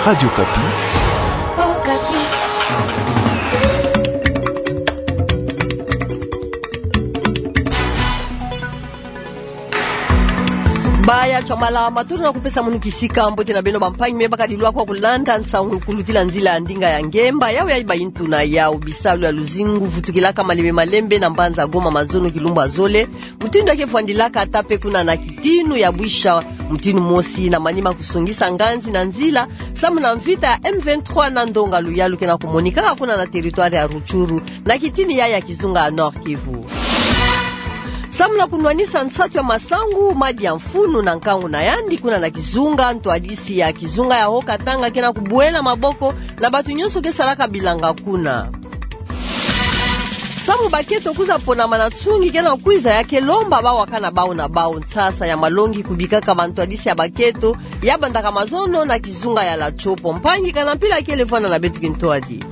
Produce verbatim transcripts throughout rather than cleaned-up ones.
Radio Okapi. Baya Chamala, matondo na kupesa munu kisika. Mbote na beno bampangi me bakadilwa kwa kulanda nsangu kulutila nzila ya ndinga ya ngemba, yawu ya bayitu na yawu. Bisalu ya luzingu vutukilaka malembe malembe na mbanza Goma mazono kilumbu ya zole, mutindu ya ke vwandilaka ata mpe kuna na kitinu ya bwisha, mutindu mosi na manima kusongisa nganzi na nzila, samu na mvita ya M vingt-trois na ndonga luyalu ke na kumonikaka kuna na territoire ya Rutshuru, na kitini ya, ya kizunga ya Nord-Kivu. Samu na kunwanisa nsatu ya masangu, madi ya mfunu na nkangu na yandi kuna na kizunga, ntwadisi ya kizunga ya Haut-Katanga ke na kubwela maboko na batu nyonso ke salaka bilanga kuna. Samu bakento kwiza ponama na nsungi ke na kwiza, ya ke lomba bawakana bawu na bawu nsasa ya malongi kubikaka bantwadisi ya bakento ya bandaka mazono na kizunga ya La Tshopo. Mpangi, kana mpila kele vwanda na beto kintwadi.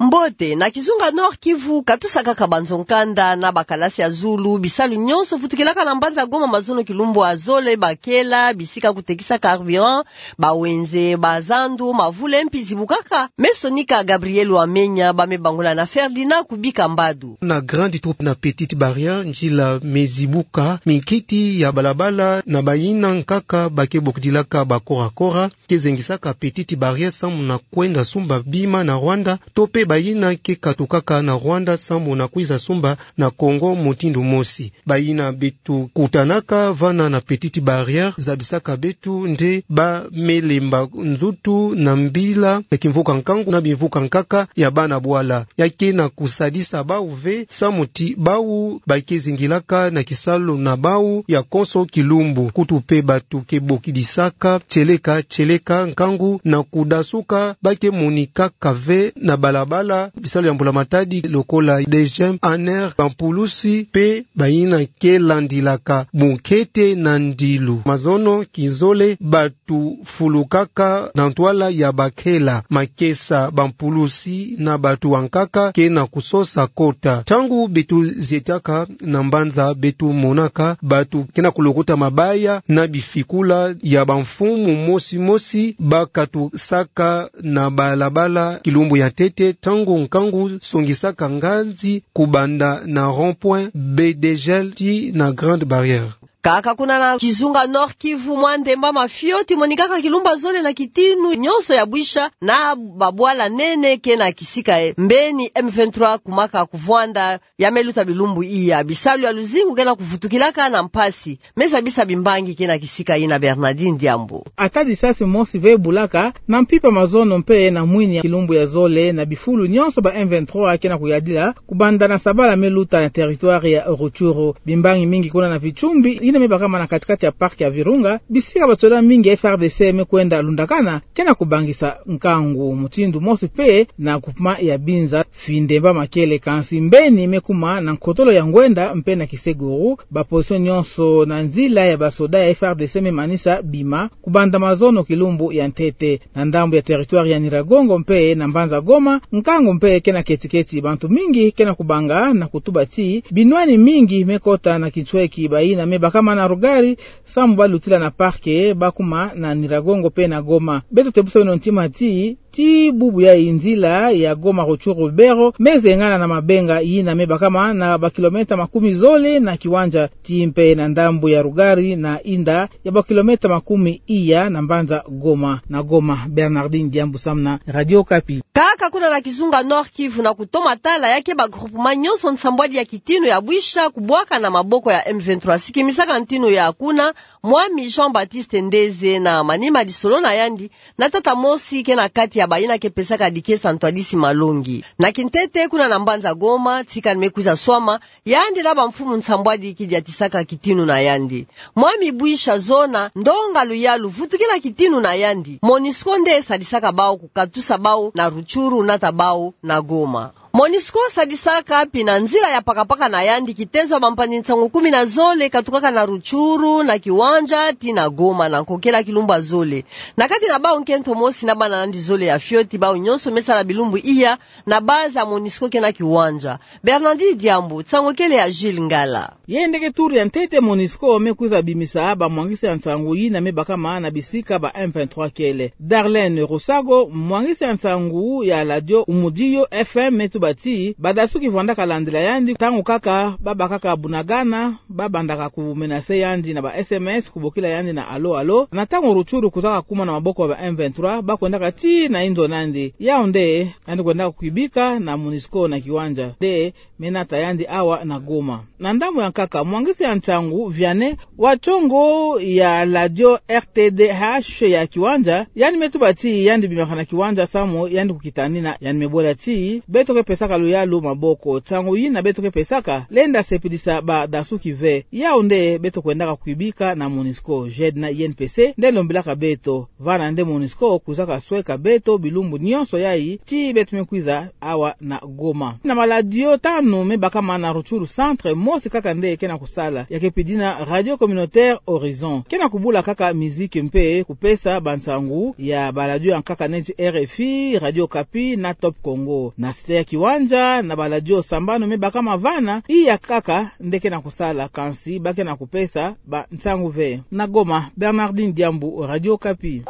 Mbote, na kizunga Nord-Kivu, katusa kaka banzo nkanda na bakalasi ya zulu, bisalu nyonso vutukilaka na mbanza Goma mazono kilumbu ya zole, bakela, bisika kutekisa carburant, bawenze, bazandu, mavule mpe zibukaka. Me sonika Gabriel Wamenya, ba me bangula na Ferdinand Kubika Mbadu. Na Grande Troupe na Petite Barrière, nzila me zibuka, minkiti ya balabala na bayina nkaka ba ke bokidilaka ba kora-kora ke zengisaka Petite Barrière samu na kwenda sumba bima na Rwanda, to mpe bayina ke katukaka na Rwanda samu na kwiza sumba na Congo mutindu mosi. Bayina beto kutanaka vana na Petite Barrière zabisaka beto nde ba me lemba nzutu na mbila ya kimvuka nkangu na bimvuka nkaka ya bana bwala. Ya ke na kusadisa bawu ve samu ti bawu ba ke zingilaka na kisalu na bawu ya konso kilumbu. Kutu mpe batu ke bokidisaka tieleka-tieleka nkangu na kudasuka, ba ke monikaka ve na balabala bisalu ya mbula matadi lokola D G M, A N R, bampulusi mpe bayina ke landilaka bunkete na ndilu. Mazono kinzole, batu fulukaka na ntwala ya bakela, makesa, bampulusi na batu ya nkaka ke na kusosa kota. Ntangu beto zietaka na mbanza, beto monaka batu ke na kulokota mabaya na bifikula ya bamfumu mosi-mosi ba katusaka na balabala kilumbu ya ntete, ntangu nkangu songisaka nganzi kubanda na rond-point Baie de Gel tii na Grande Barrière. Kaka kuna na kizunga Nord-Kivu, mwa ndemba mafioti emonikaka kilumbu ya zole na kitinu nyonso ya bwisha na babwala nene ke na kisika e mbeni M vingt-trois kumaka kuvwanda ya me luta bilumbu iya. Bisalu ya luzingu ke na kuvutukilaka na mpasi. Me zabisa bimbangi ke na kisika yina, Bernardine Diambu. Ata lisasi mosi ve ebulaka na mpimpa mazono mpe na mwini ya kilumbu ya zole na bifulu nyonso ba M vingt-trois ke na kuyadila, kubanda na sabala me luta na territoire ya Rutshuru. Bimbangi mingi kuna na Vichumbi, yina me bakama na kati-kati ya parc ya Virunga, bisika basoda mingi ya F A R D C me kwenda lundakana, ke na kubangisa nkangu. Mutindu mosi mpe na groupement ya Binza, fi ndemba makele, kansi mbeni me kuma na nkotolo ya Ngwenda mpe na Kiseguru, ba position nyonso na nzila ya basoda ya F A R D C me manisa bima, kubanda mazono kilumbu ya ntete. Na ndambu ya territoire ya Nyiragongo mpe na mbanza Goma, nkangu mpe ke na keti-keti. Bantu mingi ke na kubanga na kutuba ti binwani mingi me kota na kintweki. Bayina me bakama na Rugari, samu ba lutila na parc, ba kuma na Nyiragongo mpe na Goma. Beto tebusa beno ntima ti, ti bubu ya nzila ya Goma Rutshuru Lubero me zengana na mabenga, yina me bakama na ba kilomètre makumi zole na kiwanja, tii mpe na ndambu ya Rugari na inda ya ba kilomètre makumi iya na mbanza Goma. Na Goma, Bernardine Diambu samu na Radio Okapi. Kaka kuna na kizunga Nord-Kivu, na kutoma tala ya ke ba groupement nyonso nsambwadi ya kitinu ya bwisha kubwaka na maboko ya M vingt-trois. Sikimisaka ntinu ya kuna, mwami Jean-Baptiste Ndeze na manima lisolo na yandi na tata mosi ke na kati ya bayina ke pesaka dikesa ntwadisi malongi. Na kintete kuna na mbanza Goma, tika ni me kwiza swama, yandi na bamfumu nsambwadi kidiatisaka kitinu na yandi. Mwami Bwisha Zona, ndonga luyalu vutukila kitinu na yandi. Monisco nde sadisaka bawu kukatusa bawu na Rutshuru nata bawu na Goma. Monusco sadisaka mpi na nzila ya pakapaka na yandi kitezo ya bampanzi nsangu kumi na zole katukaka na Rutshuru, na Kiwanja, tii na Goma, na nkokela kilumbu ya zole. Na kati na bawu nkento mosi na bana na yandi zole ya fioti, bawu nyonso me sala bilumbu iya na base ya Monusco ke na Kiwanja. Bernardine Diambu, nsangu kele ya Jules Ngala. Yai nde ke tour ya ntete Monusco me kwiza bimisa bamwangisi ya nsangu yina me bakama na bisika ba M vingt-trois kele. Darlene Rosago, mwangisi ya nsangu ya radio Umudio F M, me tuba ti badasuki vwandaka landila yandi ntangu kaka babakaka Bunagana, babandaka ku menacer yandi na ba S M S, kubokila yandi na allô allô. Na ntangu Rutshuru kwizaka kuma na maboko ya ba M vingt-trois, bakwendaka tii na inzo na yandi. Yawu nde yandi kwendaka kwibika na Monusco na Kiwanja. Nde me nata yandi awa na Goma. Na ndambu ya nkaka, mwangisi ya nsangu Vianney, wa ntiongo ya radio R T D H ya Kiwanja, yandi me tuba ti yandi bimaka na Kiwanja samu yandi kukitanina. Yandi me bola ti beto ke pesaka luyalu maboko. Nsangu yina beto ke pesaka lenda sepelisa badasuki ve. Yawu nde beto kwendaka kwibika na Monusco. Jedna Yen Pese nde lombelaka beto. Vana nde Monusco kwizaka sweka beto bilumbu nyonso yai tii beto me kwiza awa na Goma. Na maradio tanu me bakama na Rutshuru Centre, mosi kaka nde ke na kusala, ya ke pidina Radio Communautaire Horizon. Ke na kubula kaka miziki mpe kupesa bansangu ya baradio ya nkaka neti R F I, Radio Okapi na Top Congo. Na cité ya Kiwanja, na baradio sambanu me bakama vana, iya kaka nde ke na kusala, kansi ba ke na kupesa bansangu ve. Na Goma, Bernardine Diambu, Radio Okapi.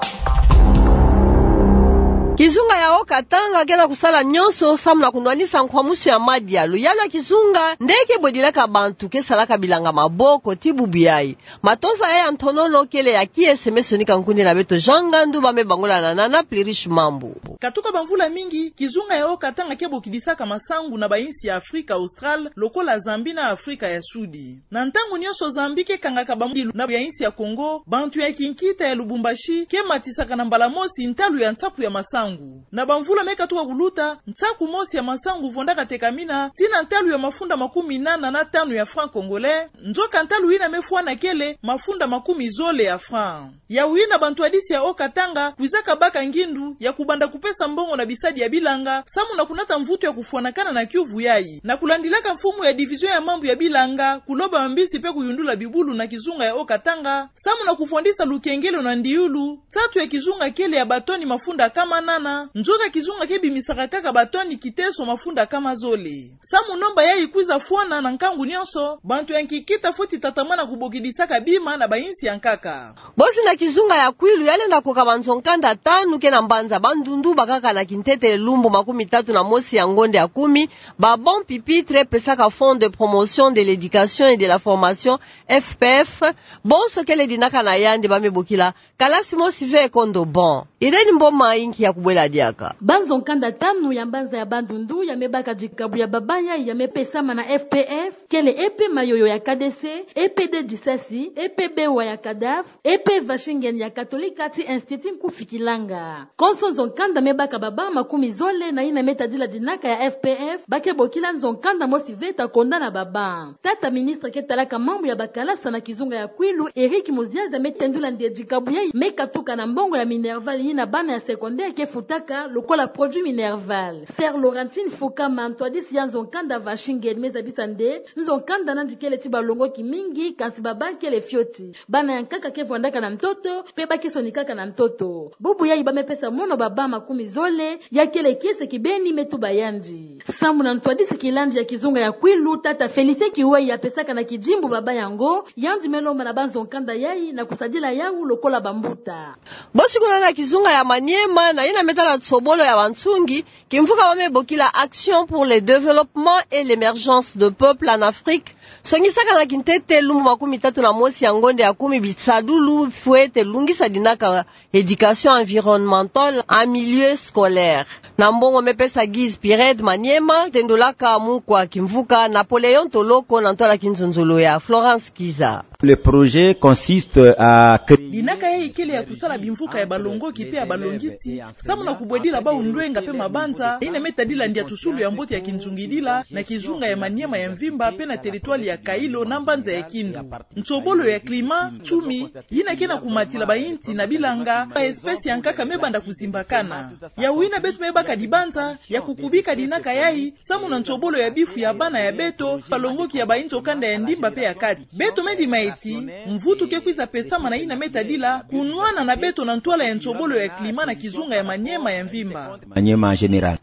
Kizunga ya Haut-Katanga ke na kusala nyonso samu na kunwanisa nkwamusu ya madia. Luyalu ya kizunga nde ke bwedilaka bantu ke salaka bilanga maboko tii bubu yai. Matosa yai ya ntonono kele ya kiese me sonika nkundi na beto Jean Ngandu, ba me bangula na Nana Plurish Mambu. Katuka bamvula mingi, kizunga ya Haut-Katanga ke bokidisaka masangu na bayinsi ya Afrika Australe, lokola Zambie na Afrika ya Sudi. Na ntangu nyonso Zambie ke kangaka bambilu na ya yinsi ya Congo, bantu ya kinkita ya Lubumbashi ke matisaka na mbala mosi ntalu ya nsaku ya masangu. Na bamvula me katuka kuluta, nsaku mosi ya masangu vwandaka tekamina tii na ntalu ya mafunda makumi nana na tanu ya francs congolais, nzoka ntalu yina me fwana kele mafunda makumi zole ya francs. Yawu yina bantwadisi ya Haut-Katanga kwizaka baka ngindu ya kubanda kupesa mbongo na bisadi ya bilanga, samu na kunata mvutu ya kufwanakana na kiuvu yai. Na kulandilaka mfumu ya division ya mambu ya bilanga, kuloba mambisi mpe kuyundula bibulu na kizunga ya Haut-Katanga, samu na kufwandisa lukengelo na ndiulu, nsatu ya kizunga kele ya batoni mafunda kama nana, nzoka kizunga ke bimisaka kaka batoni kiteso mafunda kama zole. Samu nomba yai kwiza fwana na nkangu nyonso, bantu ya nkikita fweti tatamana kubokidisaka bima na bayinsi ya nkaka. Bosi na kizunga ya Kwilu ya lenda koka banzo nkanda tanu ke na mbanza Bandundu bakaka na kintete lumbu makumi tatu na mosi ya ngonde ya kumi, ba banc pupitre pesaka Fonds de promotion de l'éducation et de la formation, F P F, bonso kele dinaka na yandi ba me bokila kalasi mosi ve kondo banc. Irène Mboma inki ya kubwela diaka. Banzo nkanda tanu ya mbanza ya Bandundu ya me baka dikabu ya baba yai ya me pesama na F P F, kele E P Mayoyo ya K D C, E P D Disasi, E P Bewa ya Cadaf, E P Vashingen ya Katolika tii Institut Nkufi Kilanga. Konso nzo nkanda me baka baba makumi zole na yina me tadila dinaka ya F P F, ba ke bokila nzo nkanda mosi ve ta konda na baba. Tata ministre ke talaka mambu ya bakalasa na kizunga ya Kwilu, Eric Muziazi, me tendula nde dikabu yai me katuka na mbongo ya Minerval yina bana ya secondaire ke futaka lokola produit Minerval. Sœur Laurentine Fukama, ntwadisi ya nzo nkanda Vashingen, me zabisa nde nzo nkanda nandi kele tii balongoki mingi, kansi baba kele fioti. Bana ya nkaka ke vwandaka na ntoto, mpe ba ke sonikaka na ntoto. Bubu yai ba me pesa mono baba makumi zole, ya kele kiese kibeni, me tuba yandi. Samu na ntwadisi kilandi ya kizunga ya Kwilu, tata Félicien Kiwehi, ya pesaka na kidimbu baba yango, yandi me lomba na banzo nkanda yai na kusadila yawu lokola bambuta. Bosi kuna na kizunga ya Maniema, na yina me tala tsobolo ya bansungi, kimvuka ba me bokila Action pour le développement et l'émergence de peuple en Afrique, songisaka na kintete lumbu makumi tatu na mosi ya ngonde ya kumi bisadulu fwete lungisa dinaka éducation environnementale en milieu scolaire. Na mbongo me pesa Guise Pired Maniema, tendolaka mukwa kimvuka Napoléon Toloko na ntwala kinzonzolo ya Florence Kiza. Le projet consiste à créer... Dinaka yai kele ya kusala bimvuka ya balongoki mpe ya balongisi, samu na kubwedila bawu ndwenga mpe mabanza, yina me tadila ndiatusulu ya mbote ya kinzungidila na kizunga ya Maniema ya mvimba mpe na territoire ya Kailo na mbanza ya Kindu. Nsobolo ya climat, tumi, yina ke na kumatila bayinti na bilanga, ba espèces ya nkaka me banda kuzimbakana. Ya wina beto me baka dibanza ya kukubika dinaka yayi, samu na nsobolo ya bifu ya bana ya beto, balongoki ya bayinzo kanda ya ndimba pe ya kati. Beto me dima ti, mvutu ke kwiza pesama na yina me tadila kunwana na beto na ntwala ya nsobolo ya climat na kizunga ya Maniema ya mvimba. Maniema en général.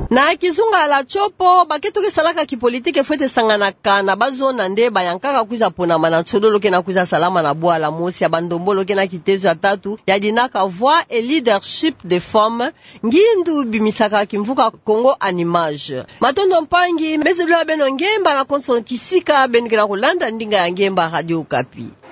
Na kizunga la Tshopo, baketo ke salaka kipolitiki fwete sanganaka na bazona nde bayankaka kwiza ponama na nsodolo ke na kwiza salama na bwala mosi ya bandombolo ke na kitezo ya tatu ya dinaka Voix et Leadership des Femmes, ngindu bimisaka kimvuka Congo en images. Matondo mpangi, me zolila beno ngemba na konso kisika beno ke na kulanda ndinga ya ngemba Radio Okapi.